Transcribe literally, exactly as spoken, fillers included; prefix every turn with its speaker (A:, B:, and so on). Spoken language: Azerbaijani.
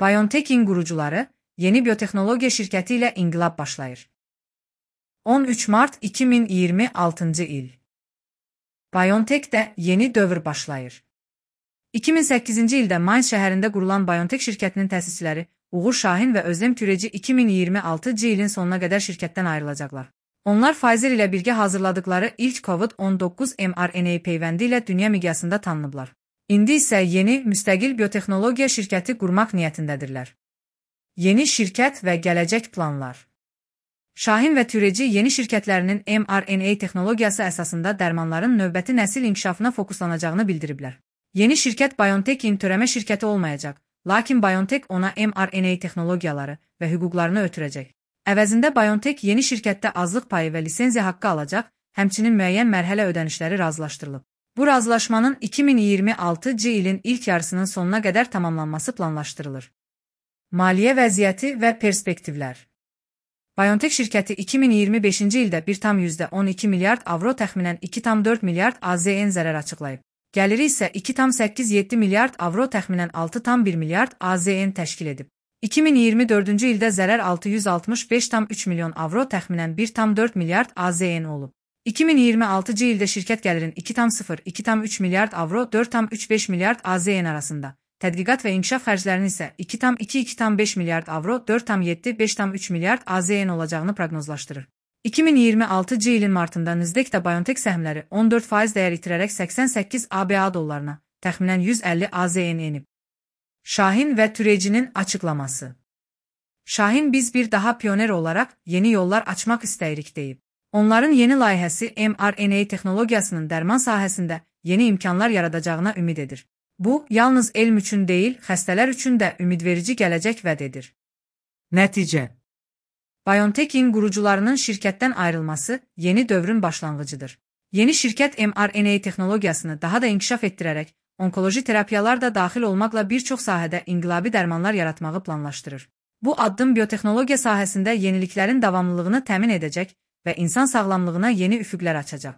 A: BioNTech'in qurucuları yeni biotexnologiya şirkəti ilə inqilab başlayır. on üç mart iki min iyirmi altıncı il. BioNTech'də yeni dövr başlayır. iki min səkkizinci ildə Mainz şəhərində qurulan BioNTech şirkətinin təsisçiləri Uğur Şahin və Özlem Türeci iki min iyirmi altıncı ilin sonuna qədər şirkətdən ayrılacaqlar. Onlar Pfizer ilə birgə hazırladıkları ilk COVID on doqquz mRNA peyvəndi ilə dünya miqyasında tanınıblar. İndi isə yeni, müstəqil biotexnologiya şirkəti qurmaq niyyətindədirlər. Yeni şirkət və gələcək planlar. Şahin və Türeci yeni şirkətlərinin mRNA texnologiyası əsasında dərmanların növbəti nəsil inkişafına fokuslanacağını bildiriblər. Yeni şirkət BioNTech'in törəmə şirkəti olmayacaq, lakin BioNTech ona mRNA texnologiyaları və hüquqlarını ötürəcək. Əvəzində BioNTech yeni şirkətdə azlıq payı və lisenziya haqqı alacaq, həmçinin müəyyən mərhələ ödənişləri razılaşdırılıb. Bu razılaşmanın iki min iyirmi altıncı ilin ilk yarısının sonuna qədər tamamlanması planlaşdırılır. Maliyyə vəziyyəti və perspektivlər. BioNTech şirkəti iki min iyirmi beşinci ildə bir tam on iki milyard avro təxminən iki tam dörd milyard A Z N zərər açıqlayıb. Gəliri isə iki tam səkkiz yeddi milyard avro təxminən altı tam bir milyard A Z N təşkil edib. iki min iyirmi dördüncü ildə zərər altı yüz altmış beş tam üç milyon avro təxminən bir tam dörd milyard A Z N olub. iki min iyirmi altıncı ildə şirkət gəlirin iki tam sıfır iki tam üç milyard avro dörd tam üç beş milyard A Z N arasında, tədqiqat və inkişaf xərclərinin isə iki tam iki iki tam beş milyard avro dörd tam yeddi beş tam üç milyard A Z N olacağını proqnozlaşdırır. iki min iyirmi altıncı ilin martında Nasdaqda BioNTech səhmləri on dörd faiz dəyər itirərək səksən səkkiz A B A dollarına, təxminən yüz əlli A Z N enib. Şahin və Türecinin açıqlaması. Şahin biz bir daha pioner olaraq yeni yollar açmaq istəyirik deyib. Onların yeni layihəsi mRNA texnologiyasının dərman sahəsində yeni imkanlar yaradacağına ümid edir. Bu, yalnız elm üçün deyil, xəstələr üçün də ümidverici gələcək vəd edir.
B: Nəticə.
A: BioNTech'in qurucularının şirkətdən ayrılması yeni dövrün başlanğıcıdır. Yeni şirkət mRNA texnologiyasını daha da inkişaf etdirərək, onkoloji terapiyalar da daxil olmaqla bir çox sahədə inqilabi dərmanlar yaratmağı planlaşdırır. Bu addım biotexnologiya sahəsində yeniliklərin davamlılığını təmin edəcək və insan sağlamlığına yeni üfüqlər açacaq.